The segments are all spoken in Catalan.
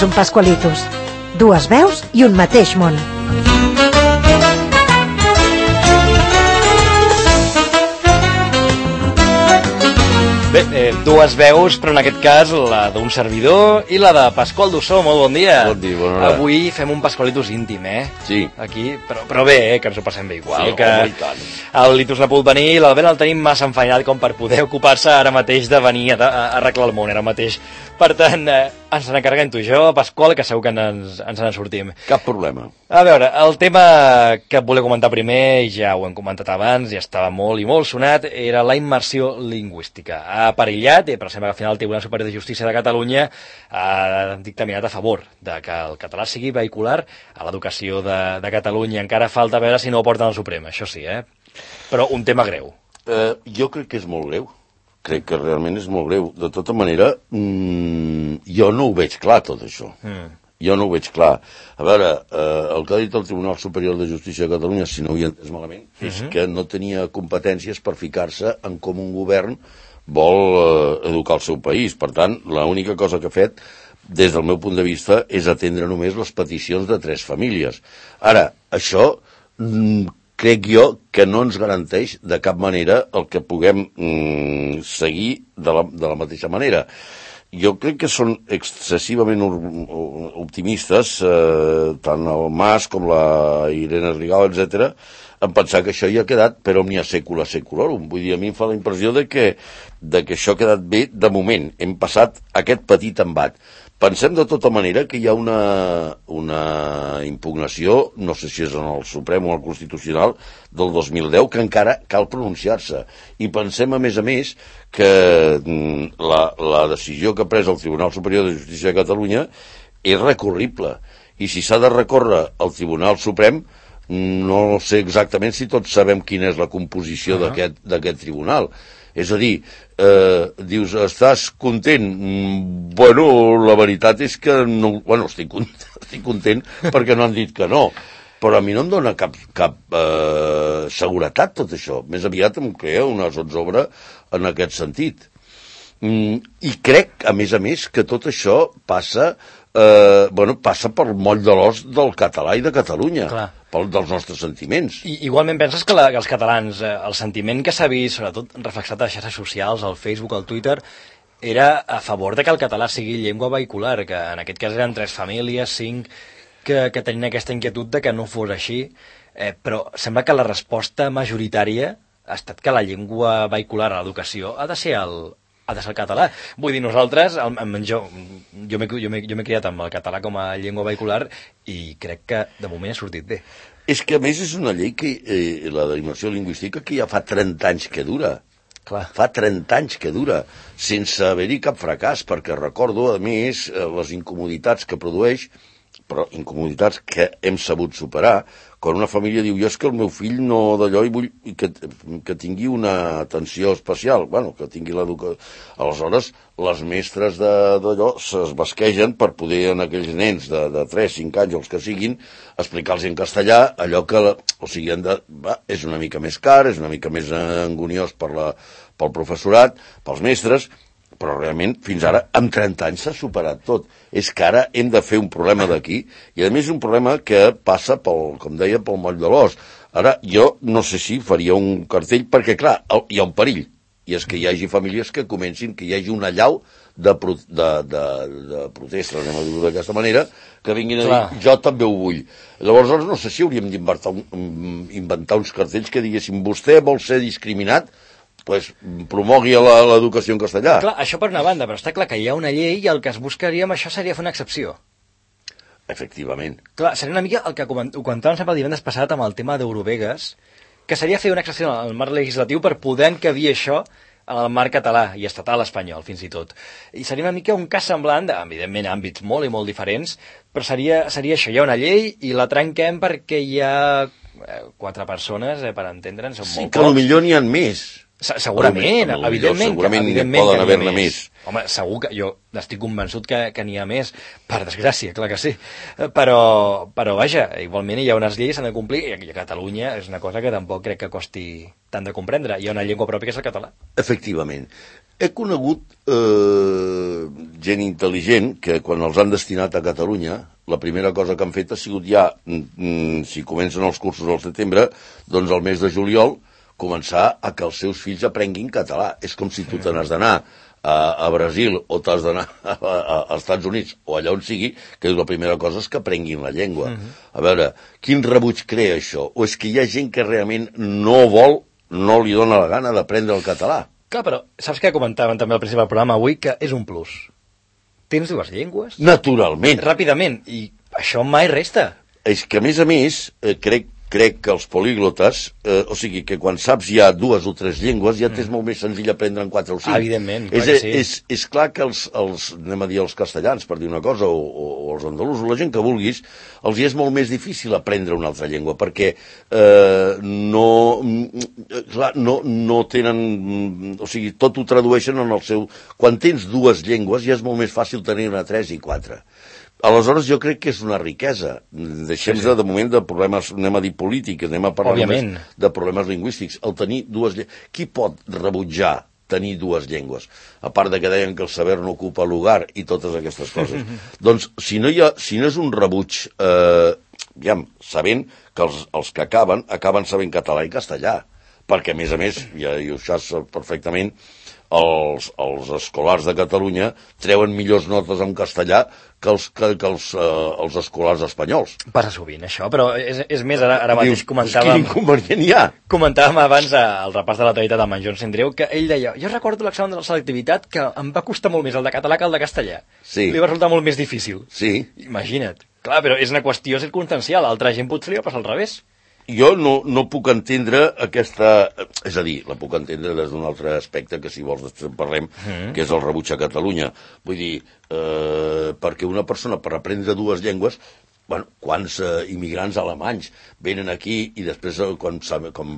és un Pascualitos. Dues veus i un mateix món. Bé, dues veus, però en aquest cas la d'un servidor i la de Pasqual Dussó. Molt bon dia. Bon dia, bona hora. Avui fem un Pascualitos íntim, Sí. Aquí, però bé, que ens ho passem bé igual. Sí, que home, i tant. el Litus no ha pogut venir i l'Albert el tenim massa enfeinat com per poder ocupar-se ara mateix de venir a arreglar el món ara mateix. Per tant, ens n'encarreguem tu i jo, Pasqual, que segur que ens en sortim. Cap problema. A veure, el tema que et volia comentar primer, ja ho hem comentat abans, ja estava molt i molt sonat, era la immersió lingüística. Ha perillat, però sembla que al final el Tribunal Superior de Justícia de Catalunya ha dictaminat a favor de que el català sigui vehicular a l'educació de Catalunya. Encara falta veure si no ho porten al Suprem, això sí, Però un tema greu. Jo crec que és molt greu. Crec que realment és molt greu. De tota manera, jo no ho veig clar, tot això. Jo no ho veig clar. A veure, el que ha dit el Tribunal Superior de Justícia de Catalunya, si no ho he entès malament, és que no tenia competències per ficar-se en com un govern vol educar el seu país. Per tant, l'única cosa que ha fet, des del meu punt de vista, és atendre només les peticions de 3 famílies. Ara, això crec jo que no ens garanteix de cap manera el que puguem seguir de la mateixa manera. Jo crec que són excessivament optimistes, tant el Mas com la Irene Rigau, etc., en pensar que això ja ha quedat per omnia secula seculorum. Vull dir, a mi em fa la impressió de que això ha quedat bé de moment. Hem passat aquest petit embat. Pensem de tota manera que hi ha una impugnació, no sé si és en el Suprem o el Constitucional, del 2010, que encara cal pronunciar-se. I pensem, a més, que la decisió que ha pres el Tribunal Superior de Justícia de Catalunya és recurrible. I si s'ha de recórrer al Tribunal Suprem, no sé exactament si tots sabem quina és la composició d'aquest tribunal. És a dir, dius, estàs content? Bueno, la veritat és que no, estic content perquè no han dit que no, però a mi no em dona cap seguretat tot això. Més aviat em crea una zozobra en aquest sentit. I crec, a més, que tot això passa pel moll de l'os del català i de Catalunya. Clar. Dels nostres sentiments. Igualment penses que els catalans, el sentiment que s'ha vist, sobretot reflexat a les xarxes socials, al Facebook, al Twitter, era a favor de que el català sigui llengua vehicular, que en aquest cas eren 3 famílies, 5, que tenien aquesta inquietud de que no fos així, però sembla que la resposta majoritària ha estat que la llengua vehicular a l'educació ha de ser el català. Vull dir, nosaltres, jo m'he criat amb el català com a llengua vehicular i crec que de moment ha sortit bé. És que, a més, és una llei que, la d'immersió lingüística, que ja fa 30 anys que dura. Clar. Fa 30 anys que dura, sense haver-hi cap fracàs, perquè recordo, a més, les incomoditats que produeix, però incomoditats que hem sabut superar, quan una família diu, jo és que el meu fill no d'allò i vull que tingui una atenció especial, que tingui l'educació. Aleshores, les mestres d'allò s'esbasquegen per poder a aquells nens de 3-5 anys, els que siguin, explicar-los en castellà allò que, és una mica més car, és una mica més angoniós pel professorat, pels mestres, però realment fins ara amb 30 anys s'ha superat tot. És que ara hem de fer un problema d'aquí, i a més un problema que passa com deia, pel moll de l'os. Ara jo no sé si faria un cartell, perquè clar, hi ha un perill, i és que hi hagi famílies que comencin, que hi hagi una allau de protesta, anem a dir-ho d'aquesta manera, que vinguin a dir, jo també ho vull. Llavors no sé si hauríem d'inventar uns cartells que diguessin, vostè vol ser discriminat, promogui l'educació en castellà. Clar, això per una banda, però està clar que hi ha una llei i el que es buscaria amb això seria fer una excepció. Efectivament. Clar, seria una mica el que ho comentàvem sempre el divendres passat amb el tema d'Eurovegas, que seria fer una excepció al marc legislatiu per poder encabir això en el marc català i estatal espanyol, fins i tot. I seria una mica un cas semblant, evidentment, àmbits molt i molt diferents, però seria això, hi ha una llei i la trenquem perquè hi ha 4 persones, per entendre'ns, són molt pocs. Sí, que potser n'hi ha més. Segurament, evidentment poden haver-ne més. Home, segur que jo estic convençut que n'hi ha més, per desgràcia, clar que sí. Però vaja, igualment hi ha unes lleis que s'han de complir, i a Catalunya és una cosa que tampoc crec que costi tant de comprendre. Hi ha una llengua pròpia que és el català. Efectivament. He conegut gent intel·ligent que quan els han destinat a Catalunya, la primera cosa que han fet ha sigut ja, si comencen els cursos al setembre, doncs al mes de juliol començar a que els seus fills aprenguin català. És com si tu te n'has d'anar a Brasil o t'has d'anar als Estats Units o allà on sigui, que la primera cosa és que aprenguin la llengua. A veure, quin rebuig crea això? O és que hi ha gent que realment no vol, no li dona la gana d'aprendre el català? Clar, però saps què comentàvem també al principi del programa avui? Que és un plus. Tens dues llengües? Naturalment. Ràpidament. I això mai resta. És que, a més, crec que els políglotes, o sigui, que quan saps ja dues o tres llengües, ja t'és molt més senzill aprendre en 4 o 5. Evidentment, clar que sí. És clar que anem a dir els castellans, per dir una cosa, o els andalusos, la gent que vulguis, els hi és molt més difícil aprendre una altra llengua, perquè no tenen... O sigui, tot ho tradueixen en el seu... Quan tens dues llengües, ja és molt més fàcil tenir-ne 3 i 4. Aleshores, jo crec que és una riquesa. Deixem-nos de moment de problemes, anem a dir polítics, anem a parlar només de problemes lingüístics. El tenir dues llengües... Qui pot rebutjar tenir dues llengües? A part de que deien que el saber no ocupa lugar i totes aquestes coses. Doncs, si no és un rebuig, sabent que els que acaben sabent català i castellà, perquè, a més, ja ho saps perfectament, els escolars de Catalunya treuen millors notes en castellà que els escolars espanyols. Passa sovint, això, però és més, ara mateix comentàvem... Quin inconvenient hi ha? Comentàvem abans al repàs de l'actualitat amb en Joan Sendreu que ell deia, jo recordo l'examen de la selectivitat que em va costar molt més el de català que el de castellà. Sí. Li va resultar molt més difícil. Sí. Imagina't. Clar, però és una qüestió circumstancial, altra gent potser li va passar al revés. Jo no puc entendre aquesta... És a dir, la puc entendre des d'un altre aspecte, que si vols després en parlem, que és el rebuig a Catalunya. Vull dir, perquè una persona per aprendre dues llengües... Bueno, quants immigrants alemanys venen aquí i després, quan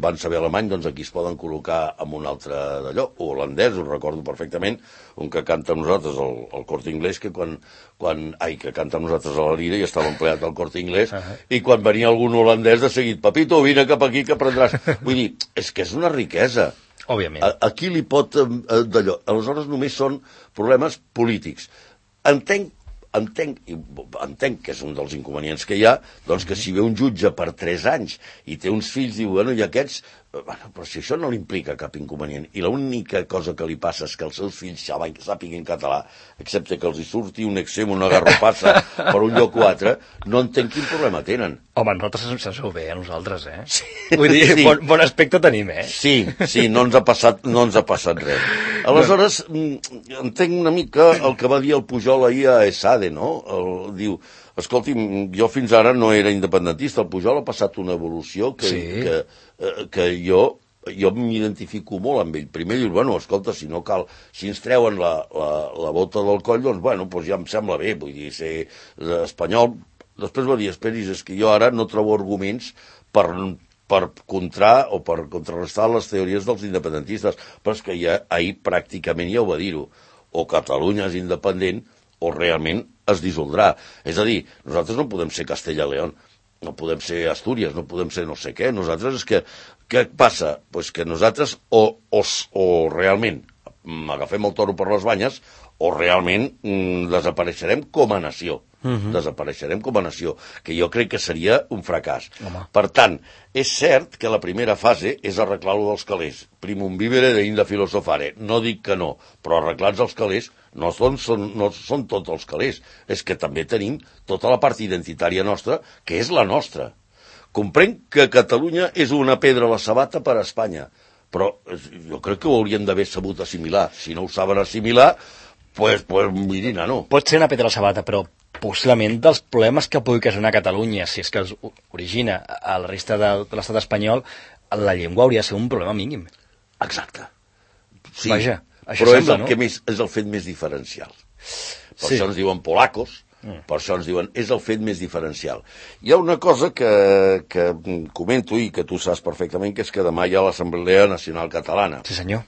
van saber alemany, doncs aquí es poden col·locar en un altre d'allò. O holandès, ho recordo perfectament, un que canta amb nosaltres el Corte Inglés, que que canta amb nosaltres a la Lira i estava empleat al Corte Inglés, i quan venia algun holandès de seguit, papito, vine cap aquí que aprendràs. Vull dir, és que és una riquesa. Òbviament. Aquí li pot d'allò. Aleshores només són problemes polítics. Entenc que és un dels inconvenients que hi ha, doncs que si ve un jutge per 3 anys i té uns fills, diu, bueno, i aquests... Bueno, però si això no li implica cap inconvenient, i l'única cosa que li passa és que els seus fills sàpiguen català, excepte que els hi surti un exem, una garropassa per un lloc o altre, no entenc quin problema tenen. Home, nosaltres ens ho bé, a nosaltres, eh? Sí. Vull dir, sí. Bon aspecte tenim, eh? Sí, no ens ha passat res. Aleshores, entenc una mica el que va dir el Pujol ahir a ESADE, no? Diu, escolti'm, jo fins ara no era independentista, el Pujol ha passat una evolució que jo m'identifico molt amb ell. Primer dius, bueno, escolta, si no cal, si ens treuen la bota del coll, doncs, bueno, doncs ja em sembla bé, vull dir, ser espanyol. Després va dir, esperis, és que jo ara no trobo arguments per contrarrestar les teories dels independentistes, però és que ja ahir pràcticament ja ho va dir-ho. O Catalunya és independent o realment es dissoldrà. És a dir, nosaltres no podem ser Castella i León, no podem ser Astúries, no podem ser no sé què. Nosaltres és que... Què passa? Pues que nosaltres o realment agafem el toro per les banyes o realment desapareixerem com a nació. Desapareixerem com a nació, que jo crec que seria un fracàs. Per tant, és cert que la primera fase és arreglar-lo dels calés. Primum vivere deinde filosofare. No dic que no, però arreglats els calés no són tots els calés. És que també tenim tota la part identitària nostra, que és la nostra. Comprenc que Catalunya és una pedra a la sabata per a Espanya, però jo crec que ho haurien d'haver sabut assimilar. Si no ho saben assimilar, pues mirin, no. Pot ser una pedra a la sabata, però possiblement dels problemes que pugui ocasionar Catalunya, si és que els origina a la resta de l'estat espanyol, la llengua hauria de ser un problema mínim. Exacte. Sí, vaja, això però sembla, és el que és el fet més diferencial. Per això ens diuen polacos, per això ens diuen és el fet més diferencial. Hi ha una cosa que comento i que tu saps perfectament, que és que demà hi ha l'Assemblea Nacional Catalana. Sí, senyor.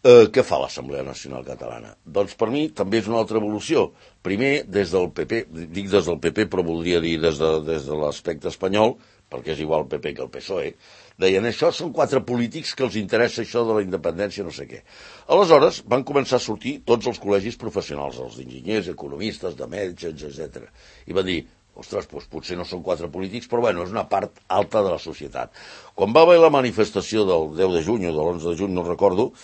Què fa l'Assemblea Nacional Catalana? Doncs per mi també és una altra evolució. Primer, des del PP, dic des del PP, però voldria dir des de l'aspecte espanyol, perquè és igual el PP que el PSOE, Deien, això són 4 polítics que els interessa això de la independència, no sé què. Aleshores van començar a sortir tots els col·legis professionals, els d'enginyers, economistes, de metges, etc. I van dir, ostres, doncs potser no són 4 polítics, però bueno, és una part alta de la societat. Quan va haver la manifestació del 10 de juny o de l'11 de juny, no recordo,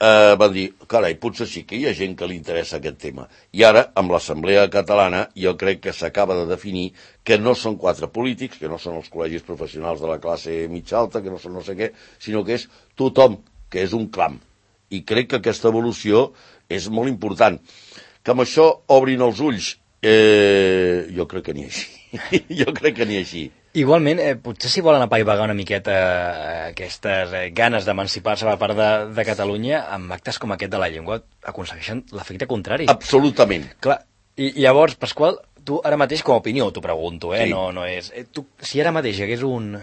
van dir, carai, potser sí que hi ha gent que li interessa aquest tema. I ara, amb l'Assemblea Catalana, jo crec que s'acaba de definir que no són 4 polítics, que no són els col·legis professionals de la classe mitja alta, que no són no sé què, sinó que és tothom, que és un clam. I crec que aquesta evolució és molt important. Que amb això obrin els ulls, jo crec que n'hi així. Jo crec que n'hi així. Igualment, potser si volen apaivagar una miqueta aquestes ganes d'emancipar-se per part de Catalunya, amb actes com aquest de la llengua aconsegueixen l'efecte contrari. Absolutament. Clar, i llavors, Pasqual, tu ara mateix com a opinió t'ho pregunto, Sí. no és... Tu, si ara mateix hi hagués un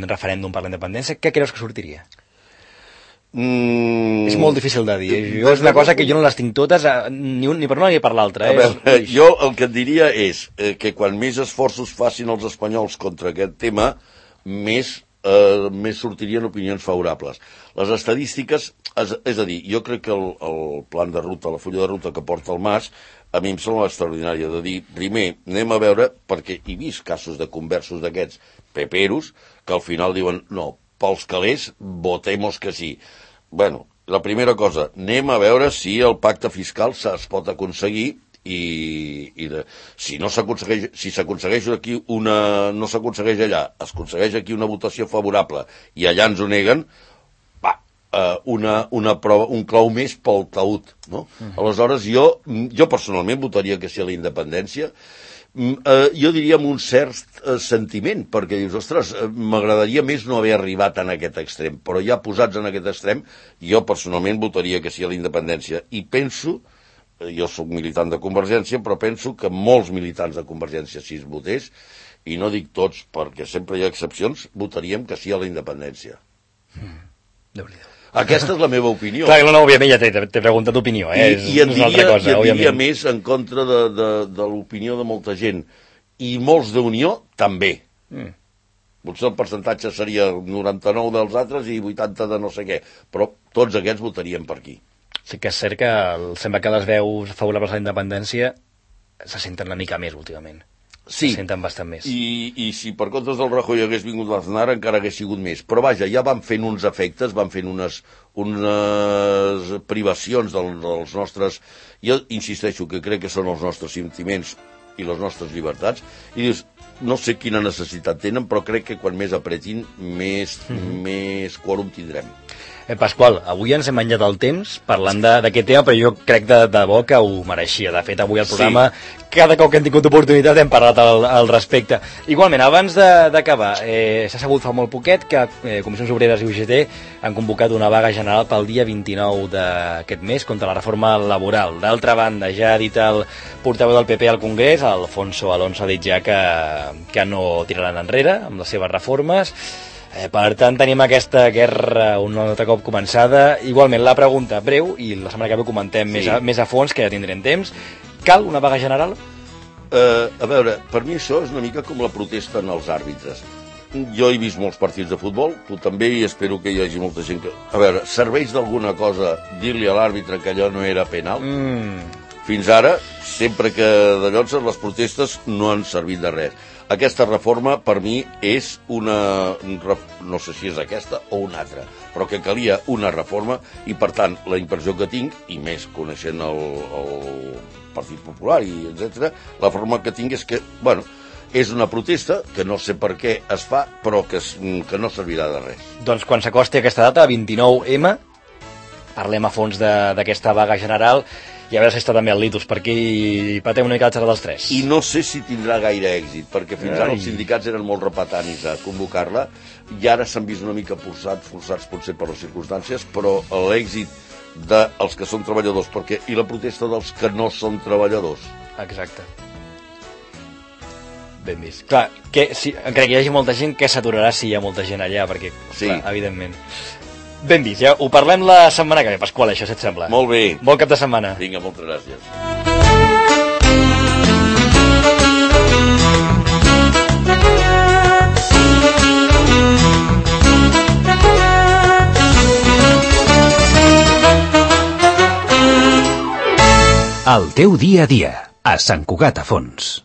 referèndum per la independència, què creus que sortiria? És molt difícil de dir. Jo és una cosa que jo no les tinc totes, ni per una ni per l'altra. Jo el que et diria és que quan més esforços facin els espanyols contra aquest tema, més sortirien opinions favorables. Les estadístiques, és a dir, jo crec que el plan de ruta, la fulla de ruta que porta el Mas, a mi em sembla extraordinària de dir, primer, anem a veure, perquè he vist casos de conversos d'aquests peperos, que al final diuen, no, pels calés, votemos que sí. Bueno, la primera cosa, anem a veure si el pacte fiscal es pot aconseguir si no s'aconsegueix, si s'aconsegueix aquí no s'aconsegueix allà, es aconsegueix aquí una votació favorable i allà ens ho neguen, una prova, un clau més pel taüt, no? Aleshores, jo personalment votaria que sí a la independència. Jo diria amb un cert sentiment, perquè dius, ostres, m'agradaria més no haver arribat en aquest extrem, però ja posats en aquest extrem, jo personalment votaria que sí a la independència. I penso, jo sóc militant de Convergència, però penso que molts militants de Convergència, si es votés, i no dic tots, perquè sempre hi ha excepcions, votaríem que sí a la independència. Déu-n'hi-do. Aquesta és la meva opinió. Clar, no, òbviament ja t'he preguntat d'opinió, I et diria més en contra de l'opinió de molta gent. I molts d'Unió també. Potser el percentatge seria 99 dels altres i 80 de no sé què, però tots aquests votarien per aquí. Sí que és cert que sembla que les veus favorables a la independència se senten una mica més últimament. Sí, se senten bastant més. I si per comptes del Rajoy hagués vingut l'Aznar encara hagués sigut més. Però vaja, ja van fent uns efectes, van fent unes privacions dels nostres... Jo insisteixo que crec que són els nostres sentiments i les nostres llibertats, i dius, no sé quina necessitat tenen, però crec que quan més apretin, més quòrum tindrem. Pasqual, avui ens hem menjat el temps parlant d'aquest tema, però jo crec de bo que ho mereixia. De fet, avui al programa, cada cop que hem tingut oportunitat hem parlat al respecte. Igualment, abans d'acabar, s'ha sabut fa molt poquet que Comissions Obreres i UGT han convocat una vaga general pel dia 29 d'aquest mes contra la reforma laboral. D'altra banda, ja ha dit el portaveu del PP al Congrés, Alfonso Alonso, ha dit ja que no tiraran enrere amb les seves reformes. Per tant, tenim aquesta guerra un altre cop començada. Igualment, la pregunta breu, i la setmana que ve comentem més a fons, que ja tindrem temps. Cal una vaga general? A veure, per mi això és una mica com la protesta en els àrbitres. Jo he vist molts partits de futbol, tu també, i espero que hi hagi molta gent que... A veure, serveix d'alguna cosa dir-li a l'àrbitre que allò no era penal? Fins ara, sempre que de llocs les protestes no han servit de res. Aquesta reforma, per mi, és no sé si és aquesta o una altra, però que calia una reforma i, per tant, la impressió que tinc, i més coneixent el Partit Popular i etc., la forma que tinc és que, bueno, és una protesta que no sé per què es fa, però que no servirà de res. Doncs quan s'acosti aquesta data, 29M, parlem a fons d'aquesta vaga general, i a veure si està també el Litus per aquí i patem una mica la xerrada dels tres. I no sé si tindrà gaire èxit, perquè fins ara els sindicats eren molt repetanis a convocar-la, i ara s'han vist una mica forçats potser per les circumstàncies, però l'èxit dels que són treballadors, i la protesta dels que no són treballadors. Exacte. Ben vist. Clar, encara que hi hagi molta gent, que s'aturarà si hi ha molta gent allà, perquè, clar, evidentment... Ben vist, ja ho parlem la setmana que ve, Pasqual, això, si et sembla. Molt bé. Bon cap de setmana. Vinga, moltes gràcies. El teu dia a dia, a Sant Cugat a Fons.